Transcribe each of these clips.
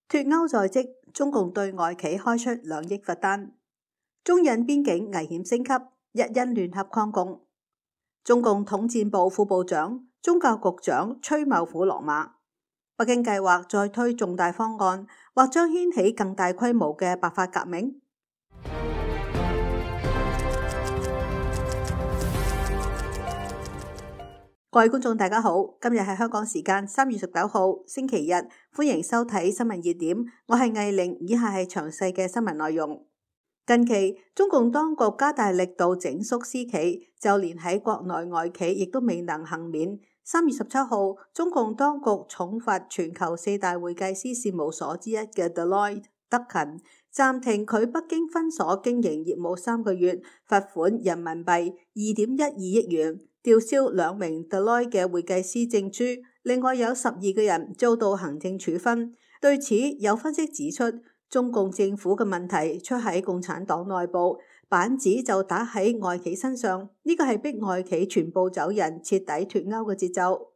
脫歐在即，中共對外企開出2億罰單。中印邊境危險升級，一因聯合抗共。中共統戰部副部長、宗教局長崔茂虎落馬。北京計劃再推重大方案，或將掀起更大規模嘅白髮革命。各位觀眾大家好，今日係香港時間3月19號星期日，歡迎收睇新聞熱點，我係藝玲，以下係詳細嘅新聞內容。近期中共當局加大力度整肅私企，就連喺國內外企亦都未能幸免。3月17號，中共當局重罰全球4大會計師事務所之一嘅 Deloitte 德勤，暫停佢北京分所經營業務3個月，罰款人民幣2.12億元。吊銷2名 Deloitte 嘅會計師證書，另外有12個人遭到行政處分。對此，有分析指出，中共政府嘅問題出喺共產黨內部，板子就打喺外企身上，呢個係逼外企全部走人、徹底脫歐嘅節奏。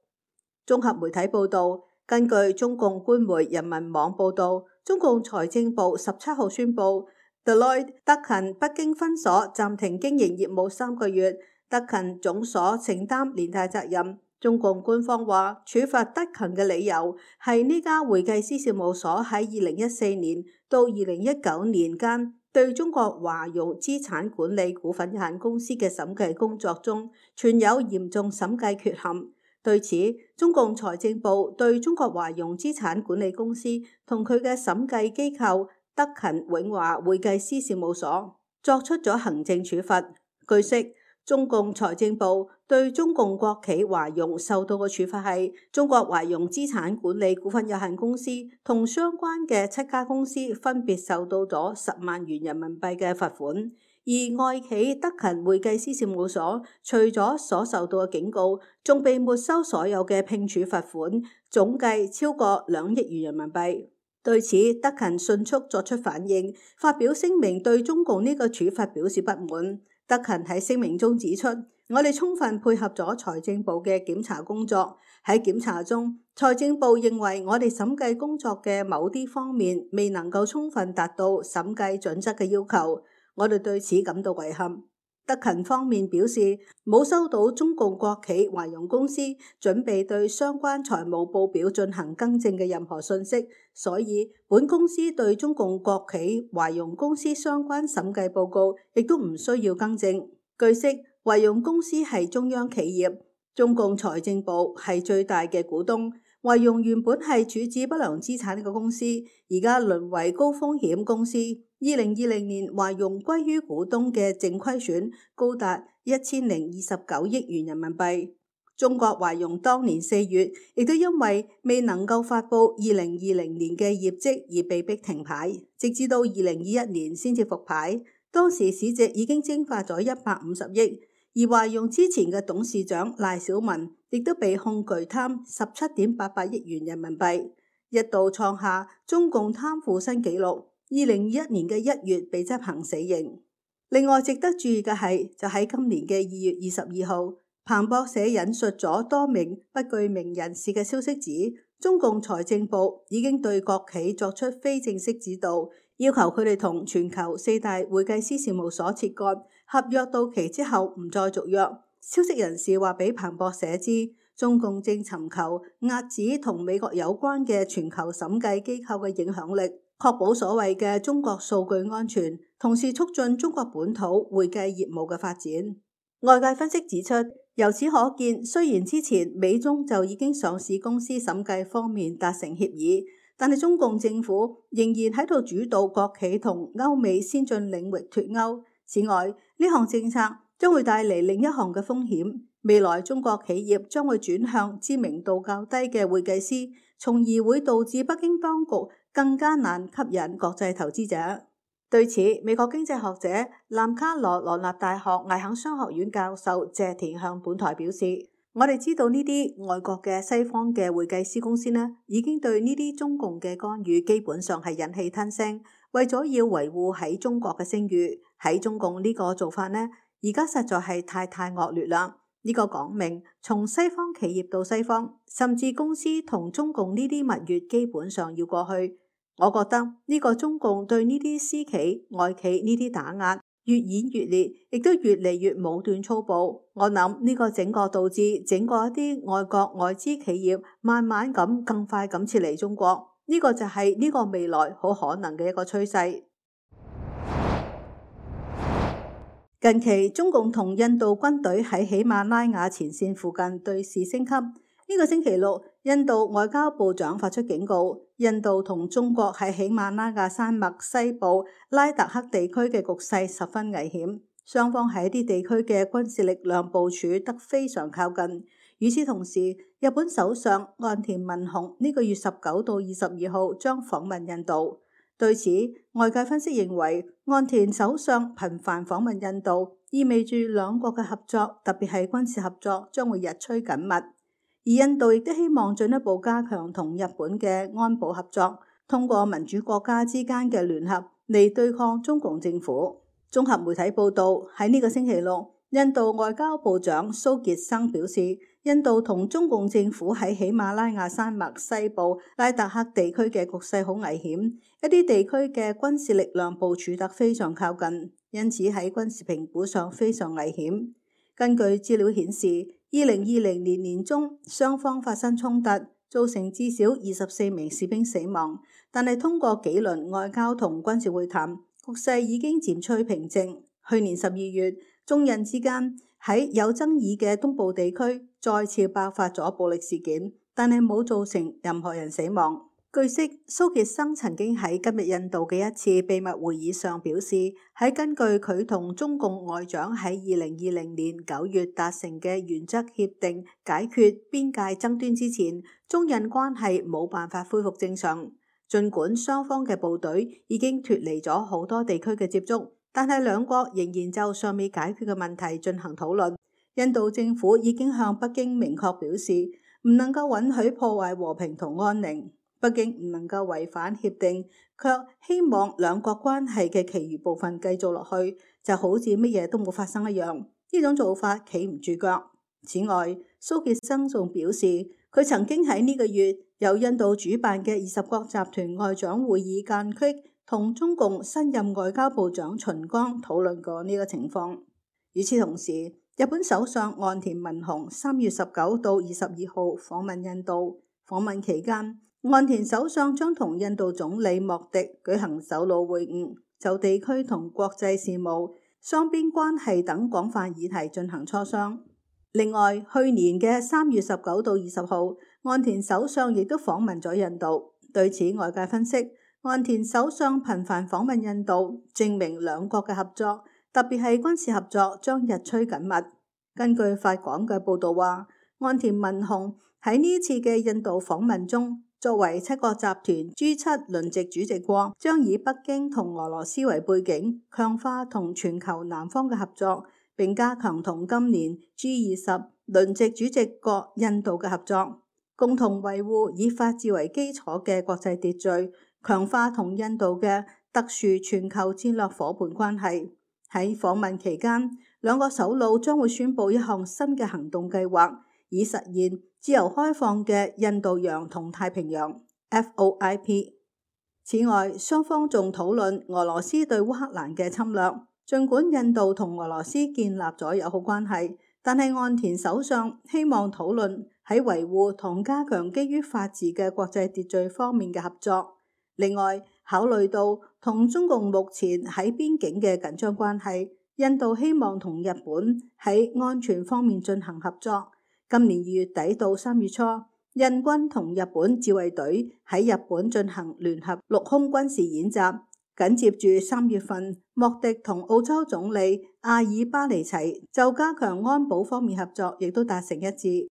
綜合媒體報道，根據中共官媒人民網報道，中共財政部17號宣布 Deloitte 德勤北京分所暫停經營業務3個月。德勤總所承擔連帶責任。中共官方話，處罰德勤嘅理由係呢家會計師事務所喺2014年到2019年間對中國華融資產管理股份有限公司嘅審計工作中存有嚴重審計缺陷。對此，中共財政部對中國華融資產管理公司同佢嘅審計機構德勤永華會計師事務所作出咗行政處罰。據悉，中共財政部對中共國企華融受到嘅處罰係中國華融資產管理股份有限公司同相關嘅7家公司分別受到咗10萬元人民幣嘅罰款，而外企德勤會計師事務所除咗所受到嘅警告，仲被沒收所有嘅聘處罰款，總計超過2億元人民幣。對此，德勤迅速作出反應，發表聲明對中共呢個處罰表示不滿。德勤喺聲明中指出，我哋充分配合咗財政部嘅檢查工作。喺檢查中，財政部認為我哋審計工作嘅某啲方面未能夠充分達到審計準則嘅要求，我哋對此感到遺憾。德勤方面表示，冇收到中共國企華融公司準備對相關財務報表進行更正嘅任何信息，所以本公司對中共國企華融公司相關審計報告亦都唔需要更正。據悉，華融公司係中央企業，中共財政部係最大嘅股東。華融原本係處置不良資產嘅公司，而家淪為高風險公司。2020年華融歸於股東嘅淨虧損高達1029億元人民幣。中國華融當年4月亦都因為未能夠發布2020年嘅業績而被迫停牌，直至到2021年先至復牌。當時市值已經蒸發咗150億，而華融之前嘅董事長賴小民亦都被控巨貪17.88億元人民幣，一度創下中共貪腐新紀錄。2021年嘅1月被執行死刑。另外值得注意嘅係，就喺今年嘅2月22號，彭博社引述咗多名不具名人士嘅消息指，中共財政部已經對國企作出非正式指導，要求佢哋同全球4大會計師事務所切割，合約到期之後唔再續約。消息人士話俾彭博社知，中共正尋求遏止同美國有關嘅全球審計機構嘅影響力，確保所謂嘅中國數據安全，同時促進中國本土會計業務嘅發展。外界分析指出，由此可見，雖然之前美中就已經上市公司審計方面達成協議，但係中共政府仍然喺度主導國企同歐美先進領域脫歐。此外，呢項政策將會帶嚟另一項嘅風險，未來中國企業將會轉向知名度較低嘅會計師，從而會導致北京當局更加難吸引國際投資者。對此，美國經濟學者南卡羅來納大學艾肯商學院教授謝田向本台表示，我哋知道呢啲外國嘅西方嘅會計師公司呢，已經對呢啲中共嘅干預基本上係忍氣吞聲，為咗要維護喺中國嘅聲譽。喺中共呢個做法呢，而家實在係太惡劣啦。呢個講明從西方企業到西方，甚至公司同中共呢啲蜜月基本上要過去。我覺得呢個中共對呢啲私企、外企呢啲打壓越演越烈，亦都越嚟越武斷粗暴。我諗呢個整個導致整個一啲外國外資企業慢慢咁更快咁撤離中國，呢個就係呢個未來好可能嘅一個趨勢。近期中共同印度軍隊喺喜馬拉雅前線附近對峙升級。呢個星期六，印度外交部長發出警告，印度同中國喺喜馬拉雅山脈西部拉達克地區嘅局勢十分危險，雙方喺一啲地區嘅軍事力量部署得非常靠近。與此同時，日本首相岸田文雄呢個月19到22號將訪問印度。對此，外界分析認為，岸田首相頻繁訪問印度，意味住兩國嘅合作，特別係軍事合作，將會日趨緊密。而印度亦都希望進一步加強同日本嘅安保合作，通過民主國家之間嘅聯合嚟對抗中共政府。綜合媒體報道，喺呢個星期六，印度外交部長蘇傑生表示，印度同中共政府喺喜馬拉雅山脈西部拉達克地區嘅局勢好危險，一啲地區嘅軍事力量部署得非常靠近，因此喺軍事評估上非常危險。根據資料顯示，2020年年中雙方發生衝突，造成至少24名士兵死亡，但係通過幾輪外交同軍事會談，局勢已經漸趨平靜。去年12月，中印之間喺有爭議嘅東部地區再次爆發咗暴力事件，但係冇造成任何人死亡。據悉，蘇傑生曾經喺今日印度嘅一次秘密會議上表示，喺根據佢同中共外長喺2020年9月達成嘅原則協定解決邊界爭端之前，中印關係冇辦法恢復正常。儘管雙方嘅部隊已經脫離咗好多地區嘅接觸，但係兩國仍然就尚未解決嘅問題進行討論。印度政府已經向北京明確表示，唔能夠允許破壞和平同安寧。北京唔能夠違反協定，卻希望兩國關係嘅其餘部分繼續落去，就好似乜嘢都冇發生一樣。呢種做法企唔住腳。此外，蘇傑生仲表示，佢曾經喺呢個月由印度主辦嘅20國集團外長會議間隙，同中共新任外交部長秦剛討論過呢個情況。與此同時，日本首相岸田文雄3月19到22號訪問印度，訪問期間，岸田首相將同印度總理莫迪舉行首腦會晤，就地區同國際事務、雙邊關係等廣泛議題進行磋商。另外，去年嘅3月19到20號，岸田首相亦都訪問咗印度。對此，外界分析，岸田首相頻繁訪問印度，證明兩國嘅合作，特別係軍事合作將日趨緊密。根據法廣嘅報導話，岸田文雄喺呢次嘅印度訪問中，作為7國集團 G7 輪值主席國，將以北京同俄羅斯為背景，強化同全球南方嘅合作，並加強同今年 G20 輪值主席國印度嘅合作，共同維護以法治為基礎嘅國際秩序，強化同印度嘅特殊全球戰略夥伴關係。喺訪問期間，兩個首腦將會宣布一項新嘅行動計劃，以實現自由開放嘅印度洋同太平洋 FOIP。此外，雙方仲討論俄羅斯對烏克蘭嘅侵略。儘管印度同俄羅斯建立咗友好關係，但係岸田首相希望討論喺維護同加強基於法治嘅國際秩序方面嘅合作。另外，考慮到同中共目前喺邊境嘅緊張關係，印度希望同日本喺安全方面進行合作。今年2月底到3月初，印軍同日本自衛隊喺日本進行聯合陸空軍事演習。緊接住3月份，莫迪同澳洲總理阿爾巴尼齊就加強安保方面合作，亦都達成一致。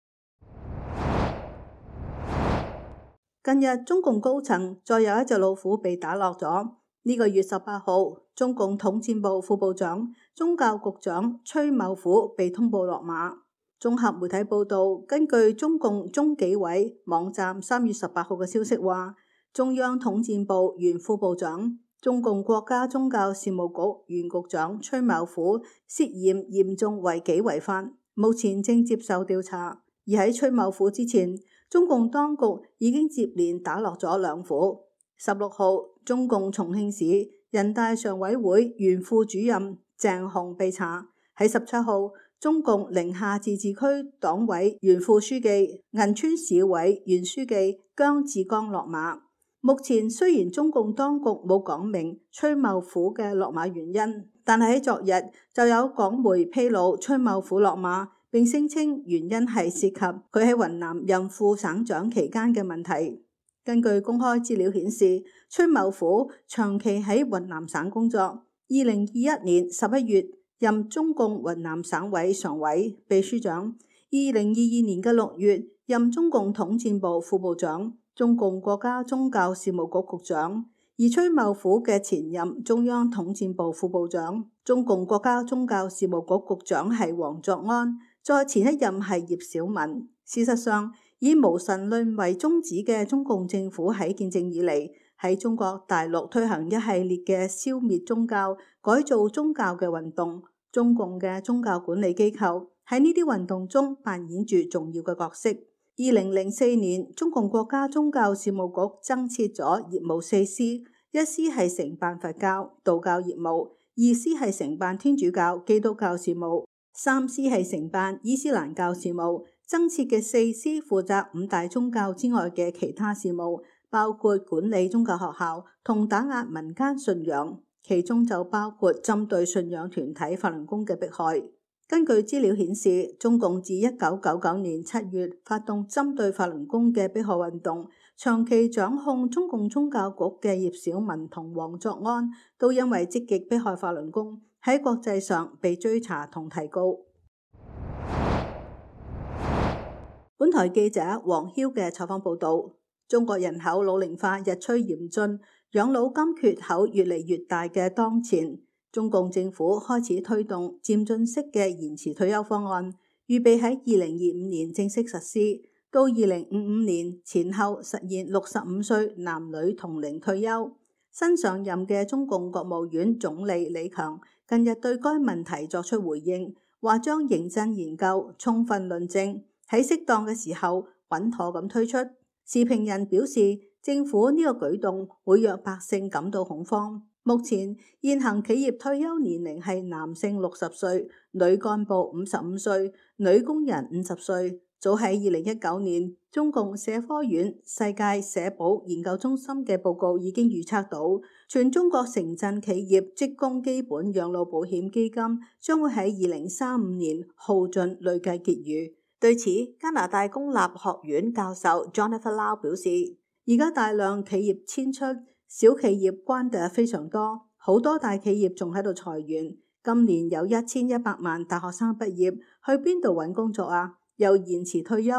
近日，中共高層再有一隻老虎被打落咗。呢個月18號，中共統戰部副部長、宗教局長崔茂虎被通報落馬。綜合媒體報道，根據中共中紀委網站3月18號嘅消息話，中央統戰部原副部長、中共國家宗教事務局原局長崔茂虎涉嫌嚴重違紀違法，目前正接受調查。而喺崔茂虎之前，中共當局已經接連打落咗2虎。16號，中共重慶市人大常委會原副主任鄭洪被查。喺17號，中共寧夏自治區黨委原副書記、銀川市委原書記姜志剛落馬。目前雖然中共當局冇講明崔茂虎嘅落馬原因，但係喺昨日就有港媒披露崔茂虎落馬，並聲稱原因係涉及佢喺雲南任副省長期間嘅問題。根據公開資料顯示，崔茂虎長期喺雲南省工作，2021年11月任中共雲南省委常委、秘書長，2022年嘅6月任中共統戰部副部長、中共國家宗教事務局局長。而崔茂虎嘅前任中央統戰部副部長、中共國家宗教事務局局長係王作安，再前一任係葉小文。事實上，以無神論為宗旨嘅中共政府喺建政以嚟，喺中國大陸推行一系列嘅消滅宗教、改造宗教嘅運動。中共嘅宗教管理機構喺呢啲運動中扮演住重要嘅角色。2004年，中共國家宗教事務局增設咗業務4司，一司係承辦佛教、道教業務，二司係承辦天主教、基督教事務，三司係承辦伊斯蘭教事務。增設嘅4司負責5大宗教之外嘅其他事務，包括管理宗教學校同打壓民間信仰，其中就包括針對信仰團體法輪功嘅迫害。根據資料顯示，中共自1999年7月發動針對法輪功嘅迫害運動，長期掌控中共宗教局嘅葉小文同王作安，都因為積極迫害法輪功，喺國際上被追查同提告。本台記者黃囂嘅採訪報道，中國人口老齡化日趨嚴峻，養老金缺口越嚟越大嘅當前，中共政府開始推動漸進式嘅延遲退休方案，預備喺2025年正式實施，到2055年前後實現65歲男女同齡退休。新上任嘅中共國務院總理李強近日對該問題作出回應，話將認真研究、充分論證，喺適當嘅時候穩妥咁推出。時評人表示，政府呢個舉動會讓百姓感到恐慌。目前現行企業退休年齡係男性60歲，女幹部55歲，女工人50歲。早喺2019年，中共社科院世界社保研究中心嘅報告已經預測到，全中國城鎮企業職工基本養老保險基金將會喺2035年耗盡累計結餘。對此，加拿大公立學院教授 Jonathan Lau 表示，而家大量企業遷出，小企業關閉非常多，好多大企業仲喺度裁員。今年有1100萬大學生畢業，去邊度揾工作啊？又延遲退休，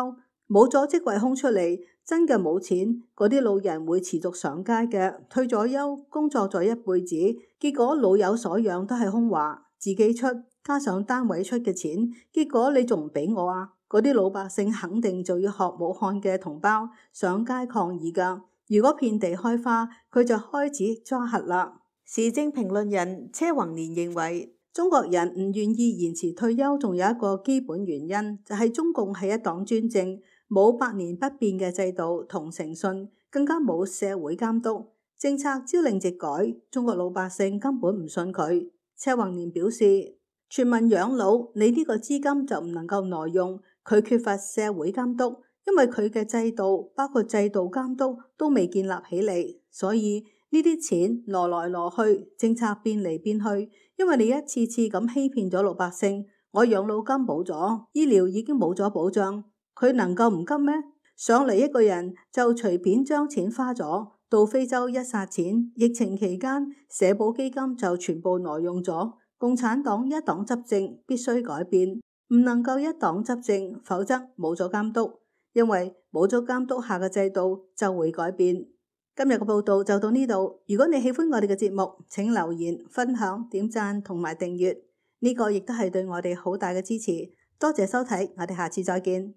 冇咗職位空出嚟，真嘅冇錢。嗰啲老人會持續上街嘅，退咗休，工作咗一輩子，結果老有所養都係空話，自己出加上單位出嘅錢，結果你仲唔俾我啊？嗰啲老百姓肯定就要學武漢嘅同胞上街抗議㗎。如果遍地開花，佢就開始抓瞎啦。時政評論人車宏年認為，中國人唔願意延遲退休，仲有一個基本原因，就係中共係一黨專政，冇百年不變嘅制度同誠信，更加冇社會監督，政策朝令夕改，中國老百姓根本唔信佢。車宏年表示，全民養老，你呢個資金就唔能夠挪用。佢缺乏社會監督，因為佢嘅制度包括制度監督都未建立起嚟，所以呢啲錢挪來挪去，政策變嚟變去，因為你一次次咁欺騙咗老百姓。我養老金冇咗，醫療已經冇咗保障，佢能夠唔急咩？上嚟一個人就隨便將錢花咗，到非洲一撒錢，疫情期間社保基金就全部挪用咗。共產黨一黨執政必須改變。唔能夠一黨執政，否則冇咗監督，因為冇咗監督下嘅制度就會改變。今日嘅報道就到呢度。如果你喜歡我哋嘅節目，請留言、分享、點讚同埋訂閱，呢個亦都係對我哋好大嘅支持。多謝收睇，我哋下次再見。